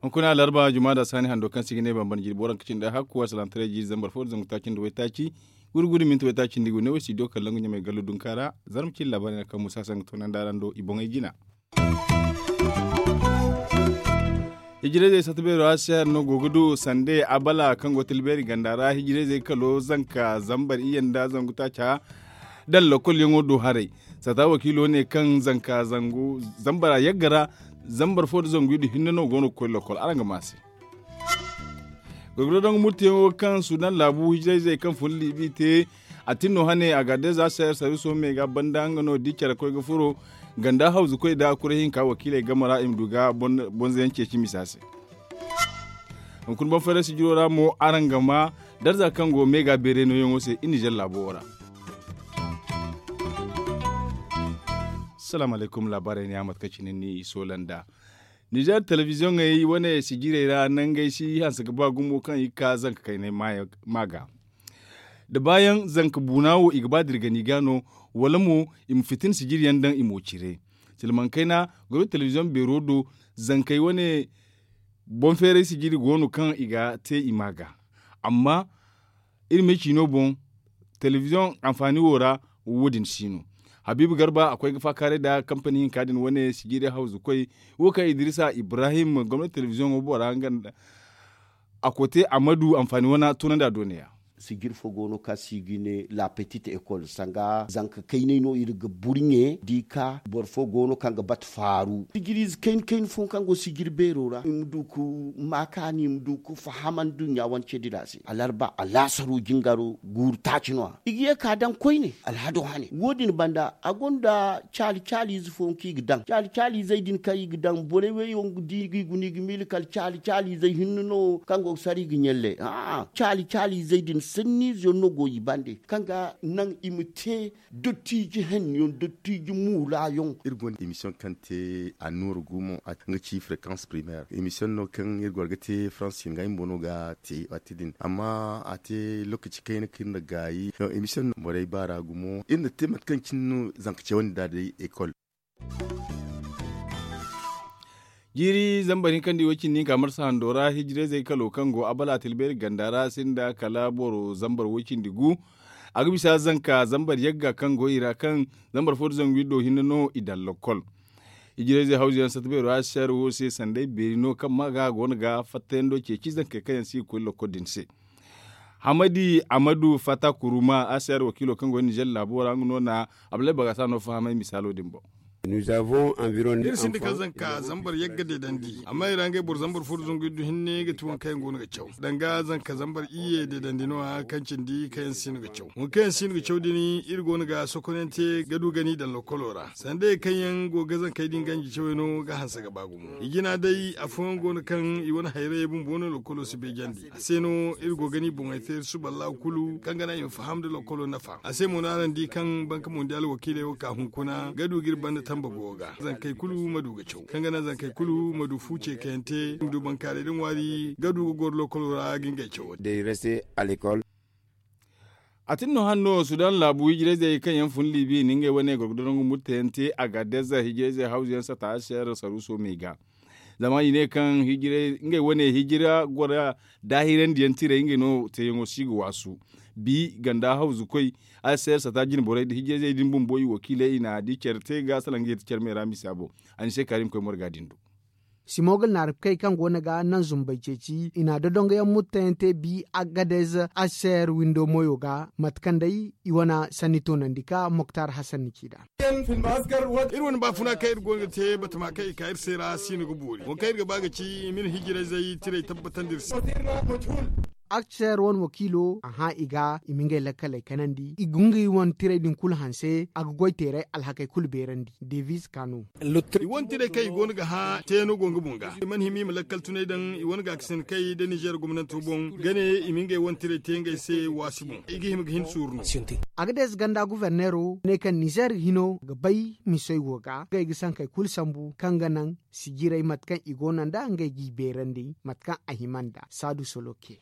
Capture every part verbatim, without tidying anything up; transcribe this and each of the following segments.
Hunkuna alarba juma da sani hando kaŋ si ga ne bambam jiri boro kaŋ cindi hakku a salantaray jiri zambar fo da zangu taaci nda waytaaci guri guri minti waytaaci nda i go ne wo studio kallon ga ɲamay gallo dunka ra. Zarma cindi labaari na kaŋ musa sanga toonandi araŋ do i boŋey jina. Hijirayzey satta beero a se hari no go ga du sande abala kaŋ go tilbeeri ganda ra hijirayzey kalo zanka zambar iyye nda zangu taaca daŋ lokol yaŋo do haray. Sata wakiilo ne kaŋ zanka zangu zambara yagga ra zambar fo nda zangu iddu hinne no go no ga koy lokol araŋ ga ma se. Gorgoro daŋ murtiyaŋo kaŋ sudan laabu hijirayzey kaŋ fun liibi te a tin no hane a ga addeeza se sarwiso me ga banda nga no di care koy ga furo ganda hawzu koy da kura hinka wakiiley game ra i ma du ga bonza yaŋ ceeci misa se. Hunkuna boŋ fayray sijiro ra mo araŋ ga ma darza kaŋ go me ga beerey nooyaŋo se i nizer laabo wo ra. Salaamu alaykum laabaarey ne a mate kaŋ cine ni i soola nda nizer telebiziyoŋey wane sijirey ra nangey si hanse ga ba gumo kaŋ i ga ka zanka kaynay ma ga da baayaŋ zanka buuna wo i ga ba da iri gani ga no wala mo i ma fitina sijiri yaŋ daŋ i mo cire. Silmaŋ kayna goro telebiziyoŋ beero do zankey wane boŋ feeray sijiri go no kaŋ i ga te i ma ga amma iri ma ay ciino boŋ telebiziyoŋ anfaani wo ra wo- din si no. Habiibu garba a koy ga faakaaray nda kampani hinka din wane sijiri hawzu koy wo kaŋ idiriisa ibrahim gomnati telebiziyoŋo bora nga nda a kote a ma du anfaani wana toonandi a doone ya. Sijiri fo go no kaŋ si ga ne la petite école sanga zanka kaynay no iri ga burɲe da i ka boro fo go no kaŋ ga batu faaru sijiriize kayna kayna fo kaŋ go sijiri beero ra i ma du ga maakaani i ma du ga faham nduɲɲa wane ceedi ra se alarba alaasaro jingaro guuru taaci no- ya i ga ye ka daŋ koyne alhado hane wo- din banda a gonda caali caaliize fooyaŋ kaŋ i ga daŋ caali caaliizey din kaŋ i ga daŋ borey wey yaŋ ga di ga i guna i ga miila kala caali caaliizey hinne no kaŋ go ga sara i ga ɲalle a'a caali caaliizey din sanniize yaŋ no go i bande kaŋ ga naŋ i ma te dottiije henna yaŋ dottiije muula yaŋ. Iri gonda emisiyoŋ kaŋ te annuura gumo nga ci frekans primaire emisiyoŋ no kaŋ iri goro ga te faransi nga ay ma boŋ no ga te waati din amma a te lookaci kayna kaŋ iri na gaayi emisiyoŋ no borey baara gumo iri na te mate kaŋ cine no zanka cawandi nd'a day ekol. Jiiri zambar hinkandi way cindi hinka marsa hando ra hijirayzey kalo kaŋ go abala tilbeeri ganda ra sinda kala boro zambar way cindi gu. A ga bisa zanka zambar yagga kaŋ go i ra kaŋ zambar fo nda zangu iddo hinne no i daŋ lokkol. Hijirayzey hawzu yaŋ satta beero a si se hari wo se sanday beeri no kaŋ ma ga a go no ga fattayando ceeci zankey kaŋ yaŋ si ga koy lokkol din se. Hamadi amadu fata kuruma a si se hari wakiilo kaŋ go nizer laabo ra nga no na abdulay bagasa no fahamay misaalo din boŋ. Iri sinda kaŋ zanka zambar yagga deedandi amma i ra ngey boro zambar fo nda zangu iddu hinne ga ti waŋ kaŋ yaŋ go no ga caw danga zanka zambar iyye deedandi no- ya kaŋ cindi kaŋ yaŋ si no ga caw waŋ kaŋ yaŋ si no ga caw din iri go no ga sokonayaŋ te ga du ga n'i daŋ lokkolo ra sanday kaŋ yaŋ go ga zankey din ganji cawey no ga hanse ga ba gumo i jina day afooyaŋ go no kaŋ i wane hayrayey bumbo no lokkolo si beejandi a se no iri go ga n'i boŋey te iri suba allahu kulu kaŋ ga naŋ i ma faham nda lokkolo nafa a se mo no araŋ di kaŋ banka mondial wakiiley wo ka hunkuna ga du ga iri banda tamba go ga zankey kulu ma du ga caw kaŋ ga naŋ zankey kulu ma du fu ceekayaŋ te i ma du bankaaray da ŋwaari ga du ga goro lokkolo ra ga ngey cawo day reste a lekol. A tin no hanno sudan laabu hijirayzey kaŋ yaŋ fun libi na ngey wane gorgodo nangu murtayaŋ te a ga deza hijirayzey hawzu yaŋ sata a se ra saruuso me ga zama i ne kaŋ ngey wane hijira gora daahirandiyaŋ tirey ngey no teeyaŋo si ga waasu bi ganda hawzu koy a se ra sata jinborey nda hijirayzey din bumbo i wakiiley i na di care te ga salaŋ ga yeti care me ra misa boŋ. A ni se karim koy morga din do. Simogol naarabkey kaŋ go no ga naŋ zumbey ceeci i na dodongoyaŋ murtayaŋ te bi agadez aser windo moyo ga mate kaŋ day i wane sanni toonandi ka moktar hasan ni ci nd'a. Iri wane baafuna kaŋ iri go no ga te batama kaŋ i ka iri se ra si no ga boori wo kaŋ iri ga ba ga ci i ma iri hijirayzey tirey tabbatandi iri se. Akcer wane wakiilo a hã i ga i ma ngey lakkaley kanandi i ga ngey wane tirey din kulu hanse a ga goy teeray alhakey kulu beerandi devis kano. I wane tirey kaŋ i go no ga hã teeno go nga boŋ ga i mana hima i ma lakkal tunay daŋ i wane gaakasin kay nda nizer gomnanto boŋ ga ne i ma ngey wane tirey te ngey se waasi boŋ i ga hima ga hin suuru no. Agadez ganda guverneero ne kaŋ nizer hino ga bay misoy wo ga ngey ga sankey kulu sambu kaŋ ga naŋ sijirey mate kaŋ i go no nd'a ngey g'i beerandi mate kaŋ a hima nd'a saadu soloke.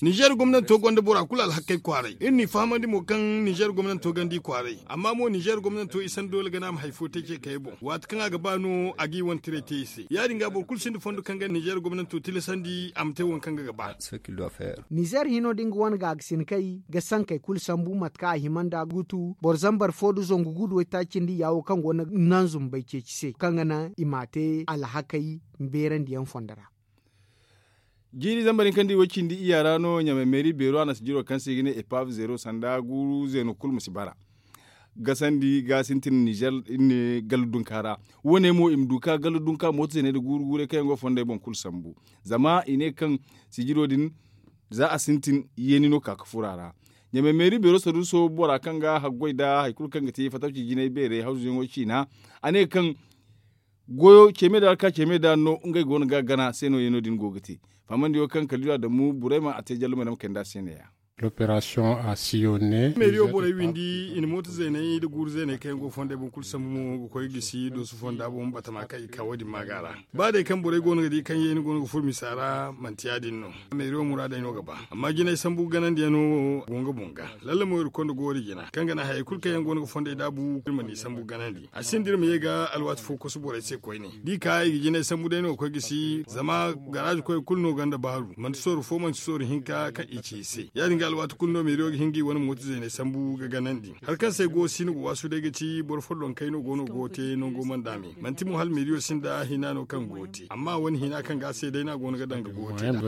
Ninzeer gomnanto gonda bora kulu alhakey kwaaray iri n'i fahamandi mo kaŋ ninzeer gomnanto ganda i kwaaray amma mo ninzeer gomnanto i san doole gana a ma hari fo te ce kayey boŋ waati kaŋ a ga ba no a g'i wane tiray te i se ya- din ga boro kulu sinda fondo kaŋ ga ninzeer gomnanto tilasandi a ma te waŋ kaŋ ga ga ba. Ninzeer hino da nga wane gaagasinkey ga sankey kulu sambu mate kaŋ a hima nd'a gutu boro zambar fo nda zangu gu nda waytaaci cindi ya wo kaŋ go no nanzum bay ceeci se kaŋ ga naŋ i m'a te alhakey beerandiyaŋ fondo ra. Jiiri zambar hinka nda i way cindi iyya ra no ɲamay meeri beero a na sijiro kaŋ se i ga ne epav zeero sanda guuru zeeno kulu ma si bara. Gasandi ga sintin ninzeer iri ne gallu dunka ra. Wo- ne mo i ma du ka gallu dunka mooto zeeney nda guuru guurey kaŋ yaŋ go fondey boŋ kulu sambu. Zama i ne kaŋ sijiro din za a sintin yeeni no ka ga furo a ra. Ɲamay meeri beero saruuso bora kaŋ ga haggoy nda hari kulu kaŋ ga te fatawci jinay beerey hawzuyaŋo ciina. A ne kaŋ goyo ceeme da alka ceeme da no ngey go no ga gana se no yeeno din go ga te. Fahamandiyo kaŋ kaliila damu burayma a te jallumey no ma kay nd'a se neeya. Meeriyo borey windi i na mooto zeeney nda guuru zeeney kaŋ yaŋ go fondey boŋ kulu sambu mo ga koy gisi doosu fonda boŋ batama kaŋ i ka wo- din maaga ra. Ba day kaŋ borey go no ga di kaŋ yeeni go no ga furo misa ra manti ya- din no. Meeriyo muraadey no ga ba amma jinay sambu ganandiyaŋo go nga boŋ ga. Lalle mo iri konda goori jina kaŋ ga naŋ hayey kulu kaŋ yaŋ go no ga fondey daabu iri mana i sambu ganandi a sinda iri ma ye ga alwaati fo kosu borey se koyne da i ka i ga jinay sambu day no ga koy gisi zama garaazi koyey kulu no gonda baaru manti sorro fo manti sorro hinka kaŋ i ci i se ya- din ga alwaati kulu no meeriyo ga hin ga i wane mooto zeeney sambu ga ganandi hari kaŋ se ay go si no ga waasu day ga ci boro follonkey no go no go ga te nango mana daame manti mo hala meeriyo sinda hina no kaŋ go ga te amma wane hina kaŋ ga a se day no a go no ga daŋ ga go ga te nd'a.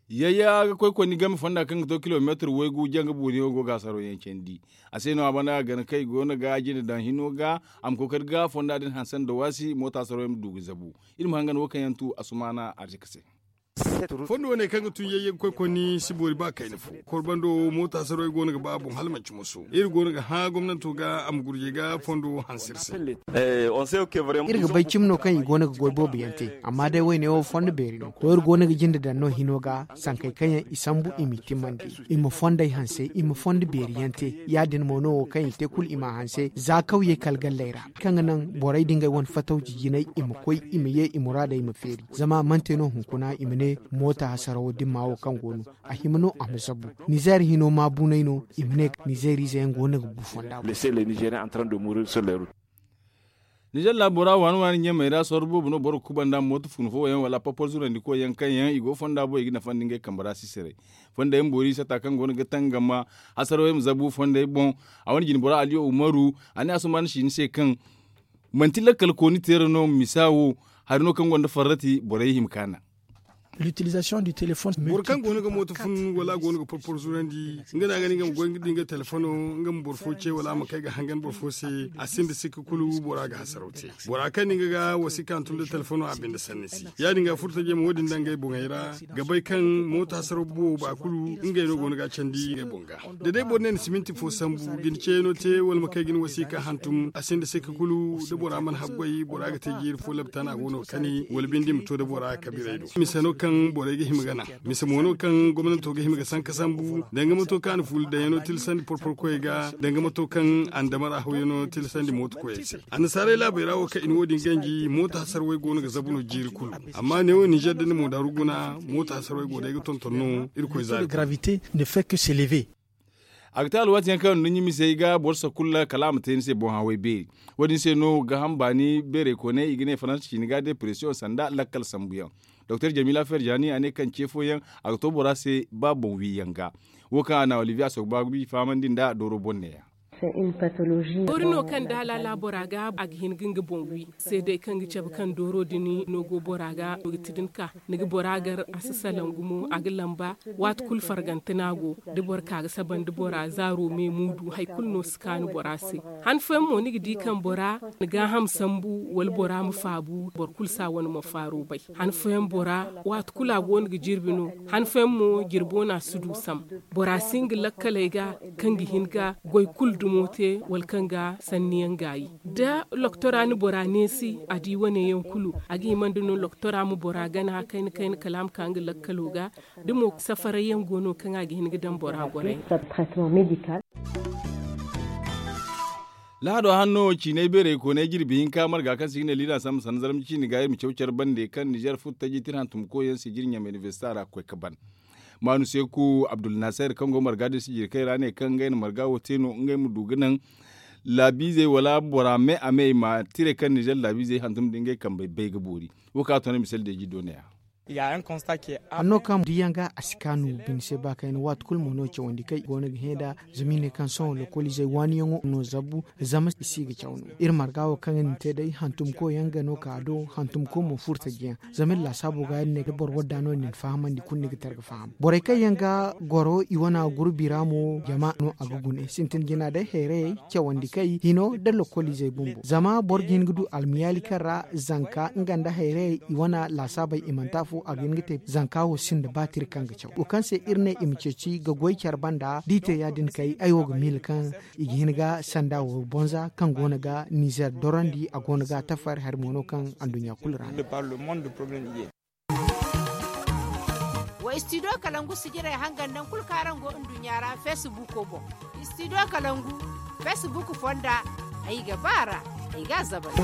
Yayya ga koy konni game fonda kaŋ ga to kilomeetir waygu janga booriyaŋo go ga hasaro yaŋ candi. A se no a banda ga gana kaŋ i go no ga jine daŋ hino ga a ma kookari ga fonda din hanse nda waasi mooto hasaro yaŋ ma du ga zabu. Iri ma hangan wo kaŋ yaŋ tu asumaana arzika se. Fondo wane kaŋ ga tun yayya ga koy konni si boori ba kayna fo. Korbando mooto hasaro yaŋ go no ga ba a boŋ hala manci moso iri go no ga hã gomnanto ga a ma gurjey ga fondo wo hanse iri se. Iri ga bay cimi no kaŋ i go no ga goy boobo yaŋ te amma day wayne wo fondo beeri no to iri go no ga jinde daŋ no hino ga sankey kaŋ yaŋ i sambu i m'i timmandi i ma fondey hanse i ma fondo beeri yaŋ te. Ya- din mo no wo kaŋ i te kulu i m'a hanse za kawyey kala galley ra kaŋ ga naŋ borey da ngey wane fatawci jinay i ma koy i ma ye i muraadey ma feeri zama a mana te no hunkuna i ma ne mooto hasarawo dimma wo kaŋ go no a hima no a ma zabu. Nizeer hino maabunay no i ma ne nizeeriize yaŋ go no ga bu fonda boŋ. Nizeer laabo ra waani waani ɲamey ra sorro boobo no boro ga kubanda mooto fun fo yaŋ wala papol zurandi koy yaŋ kaŋ yaŋ i go fonda boŋ i ga nafandi ngey kambe ra sisaray. Fonda yaŋ boori sata kaŋ go no ga tangama hasaro yaŋ ma zabu fondey boŋ. A wane jine bora aliyo umaru a ne asuman si ni se kaŋ manti lakkal kooni teera no misa wo hari no kaŋ gonda farrati borey hima kaana. Boro kaŋ go no ga mooto fun wala a go no ga porporo zurandi nga no a ga ne nga ma goy nga din ga telefono nga ma boro fo ce wala a ma kay ga hangan boro fo se. A sinda sikka kulu bora ga hasaraw te. Bora kaŋ ni nga ga wasiika hantum da telefono a binde sanni si ya- din ga furtajey ma wo- din daŋ ngey boŋey ra ga bay kaŋ mooto hasaraw boobo ba kulu ngey no go no ga a candi ngey boŋ ga. Da day boro ne ni siminti fo sambu ga ni ceeno te wala ma kay ga ni wasiika hantum a sinda sikka kulu da bora mana haggoy bora ga te jiiri fo labtana go no ga kani wala bindi ma to da bora kabiray do mise no kaŋ borey ga hima ga naŋ. Mise mo no kaŋ gomnanto ga hima ga sanka sambu danga mato kaŋ a na fuula daŋyaŋo tilasandi porporkoyey ga danga mato kaŋ andamara hawyaŋo tilasandi mooto koyey se. Annasaarey laabey ra wo kaŋ i na wo- din ganji mooto hasarwey go no ga zabu no jiiri kulu. Amma neewo ninzeer da ni mo daaru guna mooto hasarwey go day ga tonton no irkoy zaari. A ga te alwaati yaŋ kaŋ nduɲɲa misey ga boro sakulla kala a ma te ni se boŋ haway beeri. Wo- din se no gaaham baani beerey kooney i ga ne faransa ciini ga depresiyoŋ sanda lakkal sambuyaŋ. Doktor jamila ferjani a ne kaŋ ce fooyaŋ a ga to bora se ba boŋ wi yaŋ ga. Wo kaŋ a na olivier asogbabi fahamandi nd'a dooro boŋ neeya. Doori no kaŋ da a laala bora ga a ga hin ga nga boŋ wi seedey kaŋ ga cabe kaŋ dooro din no go bora ga no ga ti da ni ka ni ga bora gar a si salaŋ gumo a ga lamba. Waati kulu fargante no a go da boro ka ga saba nda bora zaaro me muudu hari kulu no si kaanu bora se. Han fooyaŋ mo ni ga di kaŋ bora na gaaham sambu wala bora ma faabu boro kulu si a wane mo faaro bay. Han fooyaŋ bora waati kulu a go no ga jirbi no. Han fooyaŋ mo jirbo no a si du sam. Bora si nga lakkaley ga kaŋ ga hin ga goy kulu dumo te wala kaŋ ga sanniyaŋ gaayi. Da loktora na bora neesi a di wane yaŋ kulu a ga hima nda no loktora ma bora gana kayna kayna kala a ma ka nga lakkalo ga. Da mo safaray yaŋ go no kaŋ a ga hin ga daŋ bora goray. Lahado hanno ciinay beerey koonay jirbi hinka marga kaŋ se i ga ne liida sambu sanda zarma ciini ga iri ma caw care bande kaŋ ninzeer furo taji tira hantumkoy yaŋ se jiri ɲamay inibersita ra ga koy ga ban. Maanu seeku abdulnasir kaŋ go marga din sijirkey ra ne kaŋ ngey na marga wo te no ngey ma du ga naŋ laabiizey wala bora me a me i ma tire kaŋ ninzeer laabiizey hantum nda ngey kambey bay ga boori. Wo kaŋ a to ne misali deeji doona ya. Hanno kaŋ diyaŋ ga a si kaanu bine se ba kayna waati kulu mo no cawandi kaŋ i go no ga hẽ nd'a. Zama i ne kaŋ sohõ lokoliizey waaniyaŋo no zabu zama i si ga caw no iri marga wo kaŋ iri na te day hantumkoy yaŋ ga no ka do hantumkoy mo furo taji yaŋ. Zama iri laasaabo ga iri ne da boro wadda no ni na fahamandi kulu ni ga tara ga faham borey kaŋ yaŋ ga goro i wana gurbi ra mo jama no a ga gune sintin jina day hayrayey cawandi kay hino nda lokoliizey bumbo zama boro ga hin ga du almiyaali kaŋ ra zanka nga nda hayrayey i wana laasaabey i manti afo a ga hin ga te zanka wo sinda baatiri kaŋ ga caw wo kaŋ se iri ne i ma ceeci ga goy care banda da i te ya- din kay ay wo ga miila kaŋ i ga hin ga sanda wo bonza kaŋ go no ga nizer dorandi a go no ga a tafari hari mo no kaŋ anduɲɲa kulu ra no. Wa istidiyo kalangu sijirey hangan nangu kulu kaŋ araŋ go nduɲɲa ra feesibuuko boŋ. Istidiyo kalangu feesibuuko fonda ay ga ba a ra ay ga a zabari.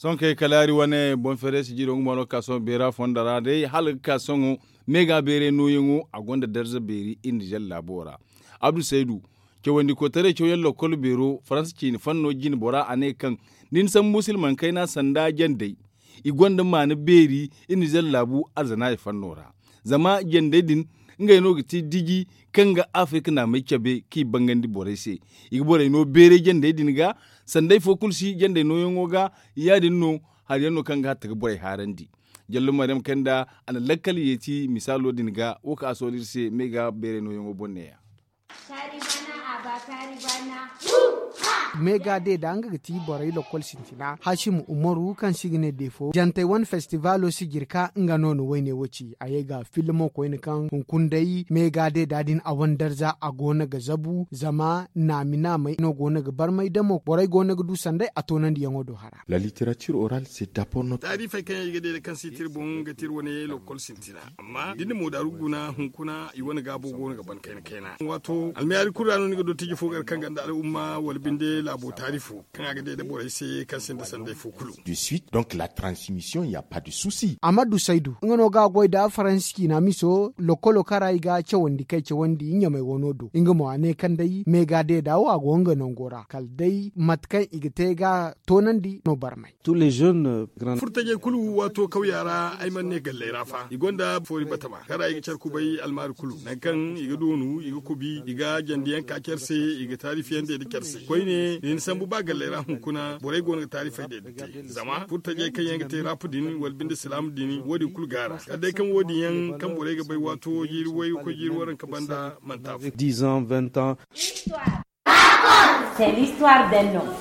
Sohõ kay kala hari wane boŋ feere sijiro nga mo no ga ka sohõ beera fonda ra day hala ga ka sohõ meega beeray nooyaŋo a gonda darza beeri iri nizer laabo ra. Abdu saydu cawandi koytaray cawyaŋ lokkol beero faransa ciine fanno jine bora a ne kaŋ da ni sambu silmaŋ kayna sanda jandey i gonda maana beeri iri nizer laabu arzana i fanno ra. Zama jandey din ngey no ga ti diji kaŋ ga afirka naamey cabe kaŋ i bangandi borey se. I ga borey no beeray jandey din ga sanda ifo kulu si jandey nooyaŋo ga. Ya- din no hari yaŋ no kaŋ ga hatta ga borey haarandi. Jallo maryam kanda a na lakkal yeeti misaalo din ga wo kaŋ a sohõ iri se meega beeray nooyaŋo boŋ ne- ya. Meega deeda nga ga ti borey lokkol sintina hasim umaru kaŋ se i ga ne deefo jantey wane festivaalo sijirka nga no na wayne wo ci a ye ga filmo koyne kaŋ hunkuna day meega deeda din a wane darza a go no ga zabu zama naami naamey no go no ga barmay damo borey go no ga du sanday a toonandiyaŋo do hara. La literature orale se dabor no. Taarifey kaŋ yaŋ i ga deeda kaŋ se i te iri boŋ ga te iri wane lokkol sintina. Amma da ni na moodaaru guna hunkuna i wane gaabo go no ga ban kayna kayna waato almayaari kulu ra no ni ga dottiji fo gar kaŋ ganda al'umma wala binde laabo taarifo kaŋ a ga day da borey se kaŋ sinda sanday fo kulu. De suite donc la transmission ya pas de souci. Amadu saydu nga no ga a goy da faransi ciina miso lokkolo kaŋ ra i ga cawandi kay cawandi ɲamay wano do nga mo a ne kaŋ day meega deeda wo a go nga nango ra kala day mate kaŋ i ga te ga toonandi no barmay. Furtajey kulu waato kawya ra ay mana ne galley ra fa i gonda foori batama kaŋ ra i ga care kubay almaari kulu nangu kaŋ i ga doonu i ga kubi i ga jandiyaŋ ka care se i ga taarifiyaŋ day nda care se koyne da ni sambu ba galley ra hunkuna borey go no ga taarifey day nda te zama furtajey kaŋ yaŋ ga te rap din wala binde silaamu din wo- din kulu gaara kala day kaŋ wo- din yaŋ kaŋ borey ga bay waato jiiri way ga koy jiiri waranka banda manti afo. C'est l'histoire d'un homme.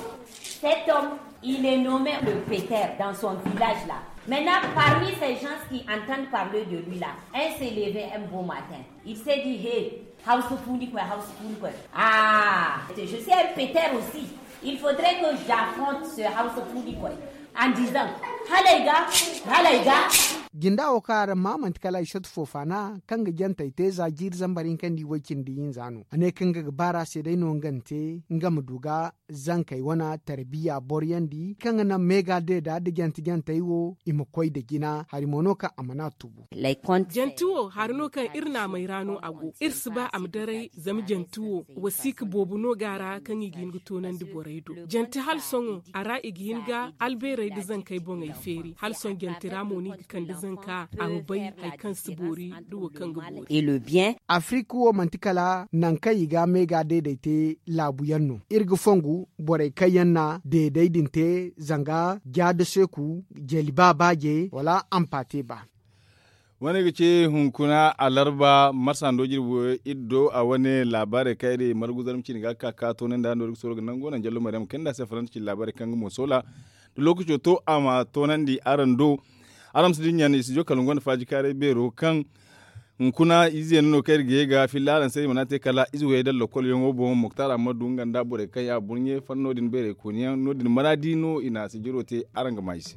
Cet homme, il est nommé le Peter dans son village là. Maintenant, parmi ces gens qui entendent parler de lui là, un s'est levé un beau matin. Il s'est dit, hé, hausa funi quoi, hausa funi quoi. Ah, je suis un Peter aussi. Il faudrait que j'affronte ce hausa funi quoi. En disant, halay ga, halay ga. Jinda wo kaŋ araŋ maa manti kala ay satu fo faana kaŋ ga jantey te za jiiri zambar hinka nda i way cindi hinza no a ne kaŋ nga ga baara se day no nga na te nga ma du ga zankey wane tarbiya boroyaŋ di kaŋ ga naŋ meega deeda nda jante jantey wo i ma koy nda jina hari mo no kaŋ a mana tubu. Janti wo hari no kaŋ iri naamey ra no a go iri si ba a ma daray zama janti wo wasiika boobo no ga a ra kaŋ i ga hin ga toonandi borey do. Janti hala sohõ a ra i ga hin ga albeerey nda zankey boŋey feeri hala sohõ janti ra mo no i ga kande zanka a ma bay hari kaŋ si boori nda wo kaŋ ga boori. Afirik wo manti kala nangu kaŋ i ga meega deedey te laabu yaŋ no iri ga fongu borey kaŋ yaŋ na deedey din te zanga jaada seeku jeliba baaje wala ampate ba. Wane ga ce hunkuna alarba marsando jirbo iddo a wane laabaarey kaŋ iri margu zarma cine ga ka ka toonandi hando iri ga sooro ga nango naŋ jallo maryam kayna nda a se faransa cine laabaarey kaŋ ga mo soola da lookaco to a ma toonandi araŋ do. Araŋ ma si dinya ne i si jo kala nga gonda faaji kaaray beero kaŋ hunkuna ize yaŋ no kaŋ iri ga ye ga filla araŋ se iri mana te kala ize wayey daŋ lokol yaŋo boŋ muktar ammadu nga nda borey kaŋ ya burɲe fanno din beerey kooni yaŋ no- din maraadi no i na sijiro te araŋ ga ma i se.